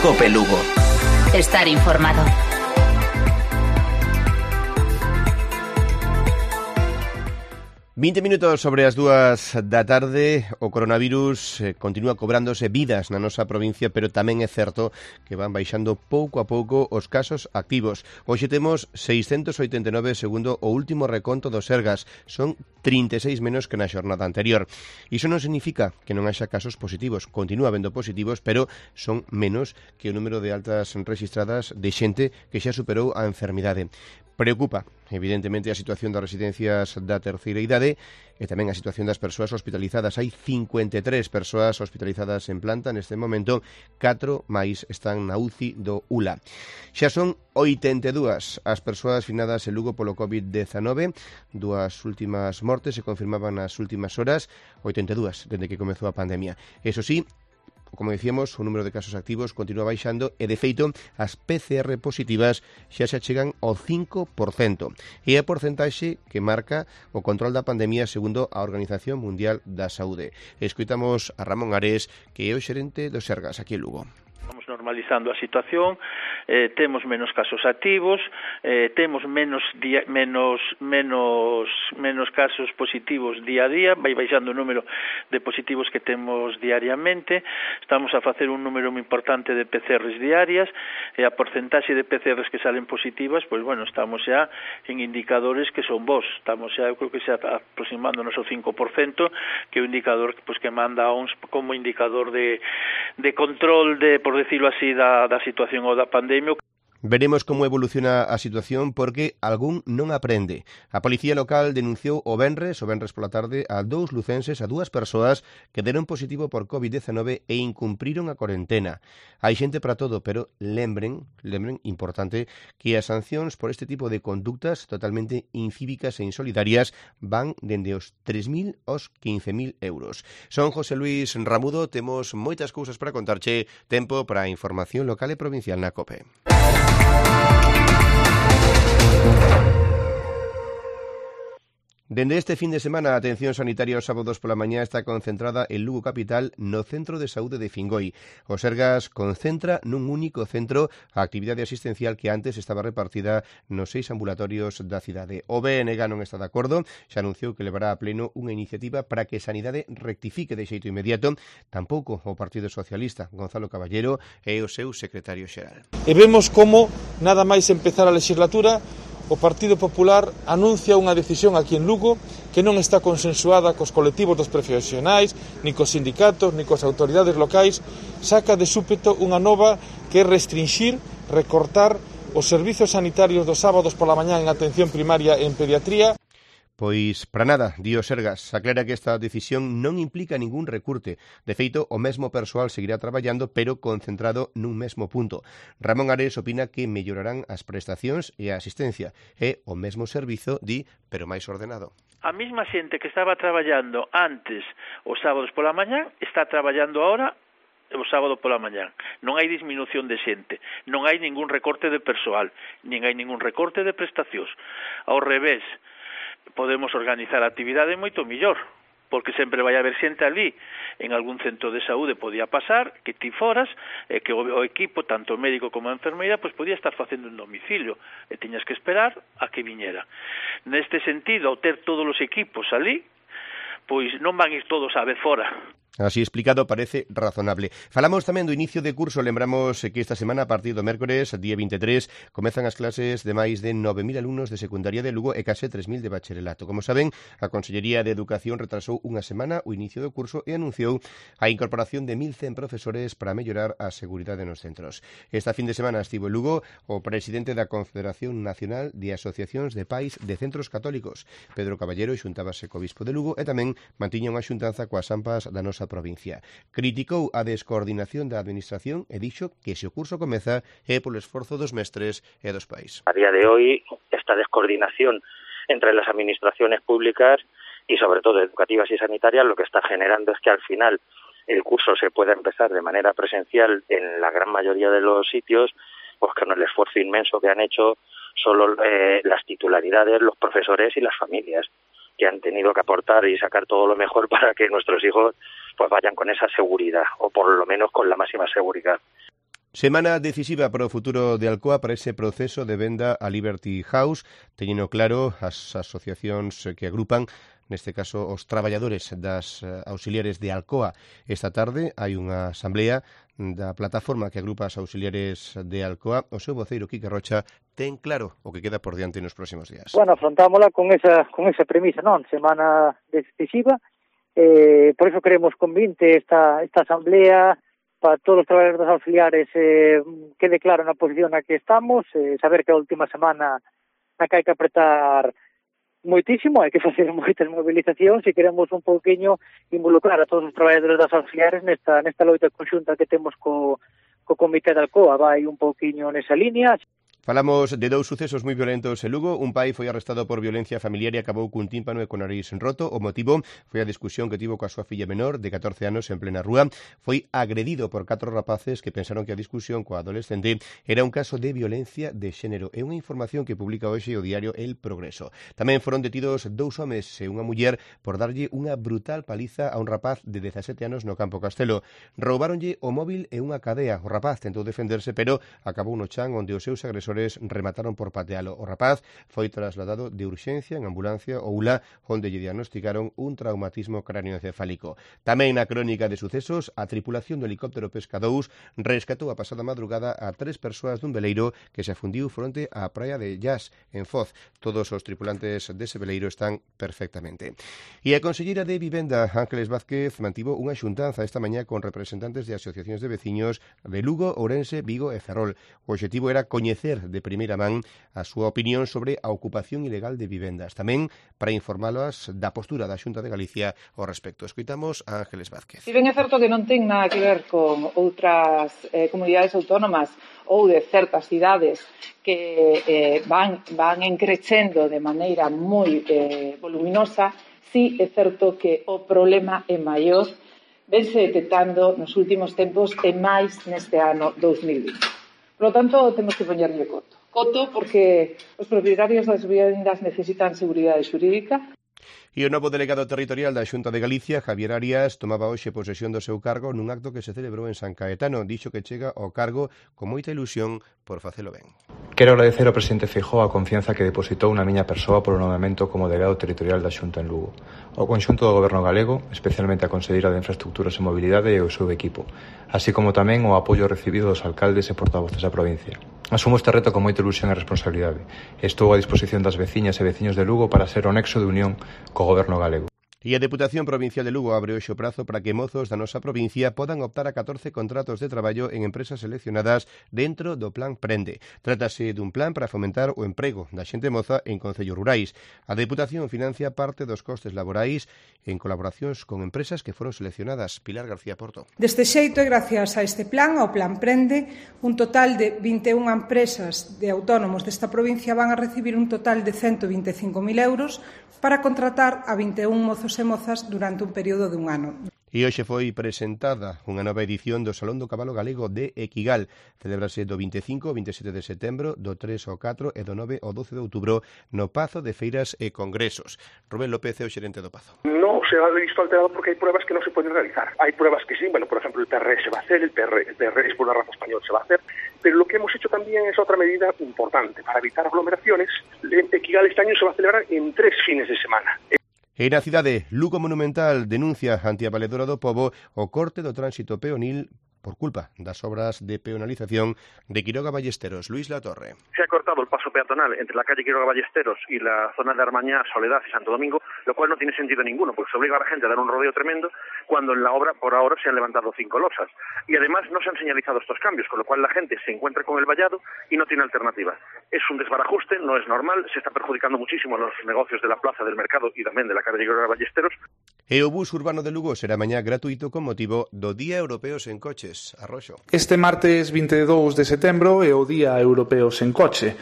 COPE Lugo. Estar informado. ...20 minutos sobre as 2 da tarde, o coronavirus continúa cobrándose vidas na nosa provincia, pero tamén é certo que van baixando pouco a pouco os casos activos. Hoxe temos 689 segundo o último reconto do Sergas, son 36 menos que na xornada anterior. Iso non significa que non haxa casos positivos, continúa habendo positivos, pero son menos que o número de altas registradas de xente que xa superou a enfermidade. Preocupa, evidentemente, a situación das residencias da terceira idade e tamén a situación das persoas hospitalizadas. Hai 53 persoas hospitalizadas en planta neste momento, 4 máis están na UCI do ULA. Xa son 82 as persoas finadas en Lugo polo COVID-19, 2 últimas mortes se confirmaban nas últimas horas, 82 dende que comezou a pandemia. Eso sí, como decíamos, o número de casos activos continúa baixando e, de feito, as PCR positivas xa se achegan ao 5%. E a porcentaxe que marca o control da pandemia segundo a Organización Mundial da Saúde. Escoitamos a Ramón Ares, que é o xerente do Sergas aquí en Lugo. Vamos normalizando a situación, temos menos casos activos, temos menos casos positivos día a día, vai baixando o número de positivos que temos diariamente, estamos a facer un número moi importante de PCRs diarias, e a porcentaxe de PCRs que salen positivas, pois bueno, estamos xa en indicadores que son bons, estamos xa, eu creo que xa aproximándonos ao 5%, que é o indicador pois, que manda a OMS como indicador de control de, por decirlo así, da situación ou da pandemia. Veremos como evoluciona a situación porque algún non aprende. A Policía Local denunciou o venres pola tarde a 2 lucenses, a 2 persoas que deron positivo por COVID-19 e incumpriron a cuarentena. Hai xente para todo, pero lembren, importante, que as sancións por este tipo de conductas totalmente incívicas e insolidarias van dende os 3.000 aos 15.000 euros. Son José Luis Ramudo, temos moitas cousas para contarche, tempo para a información local e provincial na COPE. Dende este fin de semana, a atención sanitaria os sábados pola mañá está concentrada en Lugo Capital no Centro de Saúde de Fingoi. O Sergas concentra nun único centro a actividade asistencial que antes estaba repartida nos 6 ambulatorios da cidade. O BNG non está de acordo, xa anunciou que levará a pleno unha iniciativa para que Sanidade rectifique de xeito inmediato. Tampouco o Partido Socialista, Gonzalo Caballero, é o seu secretario xeral. E vemos como, nada máis empezar a legislatura, o Partido Popular anuncia unha decisión aquí en Lugo que non está consensuada cos colectivos dos profesionais, ni cos sindicatos, ni cos autoridades locais, saca de súpeto unha nova que é restringir, recortar os servizos sanitarios dos sábados pola mañá en atención primaria e en pediatría. Pois para nada, di o Sergas, aclara que esta decisión non implica ningún recurte. De feito, o mesmo persoal seguirá traballando, pero concentrado nun mesmo punto. Ramón Ares opina que mellorarán as prestacións e a asistencia. É o mesmo servizo, di, pero máis ordenado. A mesma xente que estaba traballando antes os sábados pola mañá está traballando ahora o sábado pola mañá. Non hai disminución de xente, non hai ningún recorte de persoal, nin hai ningún recorte de prestacións. Ao revés, podemos organizar a actividade moito mellor, porque sempre vai haber xente ali en algún centro de saúde, podía pasar que ti foras, que o equipo, tanto o médico como a enfermeira, pois podía estar facendo un domicilio e tiñas que esperar a que viñera. Neste sentido, ao ter todos os equipos ali, pois non van ir todos a vez fora. Así explicado parece razonable. Falamos tamén do inicio de curso, lembramos que esta semana, a partir do mércores, día 23, comezan as clases de máis de 9.000 alumnos de secundaria de Lugo e case 3.000 de bacharelato. Como saben, a Consellería de Educación retrasou unha semana o inicio do curso e anunciou a incorporación de 1.100 profesores para mellorar a seguridade nos centros. Esta fin de semana estivo en Lugo o presidente da Confederación Nacional de Asociacións de Pais de Centros Católicos, Pedro Caballero, xuntábase co bispo de Lugo e tamén mantiña unha xuntanza coas AMPAs da nosa provincia. Criticou a descoordinación da administración e dixo que se o curso comeza é polo esforzo dos mestres e dos pais. A día de hoy, esta descoordinación entre las administraciones públicas y sobre todo educativas y sanitarias lo que está generando es que al final el curso se pueda empezar de manera presencial en la gran mayoría de los sitios, pues con el esfuerzo inmenso que han hecho solo las titularidades, los profesores y las familias, que han tenido que aportar y sacar todo lo mejor para que nuestros hijos pues vayan con esa seguridad, o por lo menos con la máxima seguridad. Semana decisiva para o futuro de Alcoa para ese proceso de venda a Liberty House, teñeno claro as asociacións que agrupan, neste caso os traballadores das auxiliares de Alcoa. Esta tarde hai unha asamblea da plataforma que agrupa as auxiliares de Alcoa. O seu voceiro, Quique Rocha, ten claro o que queda por diante nos próximos días. Bueno, afrontámola con esa premisa, non? Semana decisiva, por eso queremos convinte esta asamblea para todos os traballadores das auxiliares quede claro na posición na que estamos, saber que a última semana na que hai que apretar moitísimo, hai que facer moitas movilizacións e queremos un pouquiño involucrar a todos os traballadores das auxiliares nesta loita conxunta que temos co Comité de Alcoa. Vai un pouquiño nesa línea. Falamos de dous sucesos moi violentos en Lugo. Un pai foi arrestado por violencia familiar e acabou cun tímpano e con nariz roto. O motivo foi a discusión que tivo coa súa filla menor de 14 anos en plena rúa. Foi agredido por 4 rapaces que pensaron que a discusión coa adolescente era un caso de violencia de xénero. É unha información que publica hoxe o diario El Progreso. Tamén foron detidos 2 homes e unha muller por darlle unha brutal paliza a un rapaz de 17 anos no Campo Castelo. Roubáronlle o móvil e unha cadea. O rapaz tentou defenderse, pero acabou no chan onde os seus agresores remataron por patealo. O rapaz foi trasladado de urxencia en ambulancia ao ULA, onde lle diagnosticaron un traumatismo cráneoencefálico. Tamén na crónica de sucesos, a tripulación do helicóptero Pesca 2 rescatou a pasada madrugada a 3 persoas dun veleiro que se afundiu fronte á praia de Llas, en Foz. Todos os tripulantes dese veleiro están perfectamente. E a conselleira de Vivenda, Ángeles Vázquez, mantivo unha xuntanza esta mañá con representantes de asociacións de veciños de Lugo, Ourense, Vigo e Ferrol. O obxectivo era coñecer de primeira man a súa opinión sobre a ocupación ilegal de vivendas. Tamén para informálas da postura da Xunta de Galicia ao respecto. Escoitamos a Ángeles Vázquez. Si ben é certo que non ten nada que ver con outras comunidades autónomas ou de certas cidades que van encrecendo de maneira moi voluminosa, si é certo que o problema é maior, vense detectando nos últimos tempos e máis neste ano 2020. Por lo tanto, temos que poñerlle coto. Coto porque os propietarios das vivendas necesitan seguridade xurídica. E o novo delegado territorial da Xunta de Galicia, Javier Arias, tomaba hoxe posesión do seu cargo nun acto que se celebrou en San Caetano. Dixo que chega ao cargo con moita ilusión por facelo ben. Quero agradecer ao presidente Feijóo a confianza que depositou na miña persoa polo nomeamento como delegado territorial da Xunta en Lugo. Ao conxunto do goberno galego, especialmente a conselleira de Infraestructuras e Mobilidade e o seu equipo, así como tamén o apoio recibido dos alcaldes e portavoces da provincia. Asumo este reto con moita ilusión e responsabilidade. Estou a disposición das veciñas e veciños de Lugo para ser o nexo de unión co goberno galego. E a Deputación Provincial de Lugo abre hoxe o prazo para que mozos da nosa provincia podan optar a 14 contratos de traballo en empresas seleccionadas dentro do Plan Prende. Trátase dun plan para fomentar o emprego da xente moza en concellos rurais. A Deputación financia parte dos costes laborais en colaboracións con empresas que foron seleccionadas. Pilar García Porto. Deste xeito, e gracias a este plan, ao Plan Prende, un total de 21 empresas de autónomos desta provincia van a recibir un total de 125.000 euros para contratar a 21 mozos e mozas durante un período de un ano. E hoxe foi presentada unha nova edición do Salón do Cabalo Galego de Equigal. Celebrase do 25 ao 27 de setembro, do 3 ao 4 e do 9 ao 12 de outubro no Pazo de Feiras e Congresos. Rubén López é o xerente do Pazo. No se ha visto alterado porque hai pruebas que non se poden realizar. Hai pruebas que sí, bueno, por ejemplo, el PRE se va a hacer, el PRE por la raza español se va a hacer, pero lo que hemos hecho también es otra medida importante para evitar aglomeraciones. Equigal este año se va a celebrar en 3 fines de semana. E na cidade, Lugo Monumental denuncia ante a Valedora do Pobo o corte do tránsito peonil por culpa das obras de peonalización de Quiroga Ballesteros. Luis Latorre. Se ha cortado el paso peatonal entre la calle Quiroga Ballesteros y la zona de Armañá, Soledad y Santo Domingo, lo cual no tiene sentido ninguno, porque se obliga a la gente a dar un rodeo tremendo cuando en la obra por ahora se han levantado 5 losas. Y además no se han señalizado estos cambios, con lo cual la gente se encuentra con el vallado y no tiene alternativa. Es un desbarajuste, no es normal, se está perjudicando muchísimo a los negocios de la plaza, del mercado y también de la calle Quiroga Ballesteros. E o bus urbano de Lugo será mañá gratuito con motivo do Día Europeo sen Coches. Arroxo. Este martes 22 de setembro é o Día Europeo sen Coche.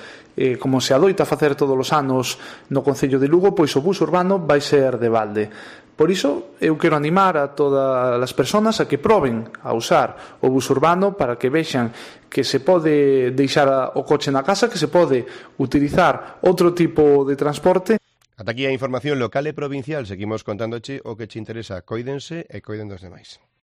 Como se adoita facer todos os anos no Concello de Lugo, pois o bus urbano vai ser de balde. Por iso, eu quero animar a todas as persoas a que proben a usar o bus urbano para que vexan que se pode deixar o coche na casa, que se pode utilizar outro tipo de transporte. Ata aquí a información local e provincial. Seguimos contándoche o que che interesa. Coídense e coiden dos demais.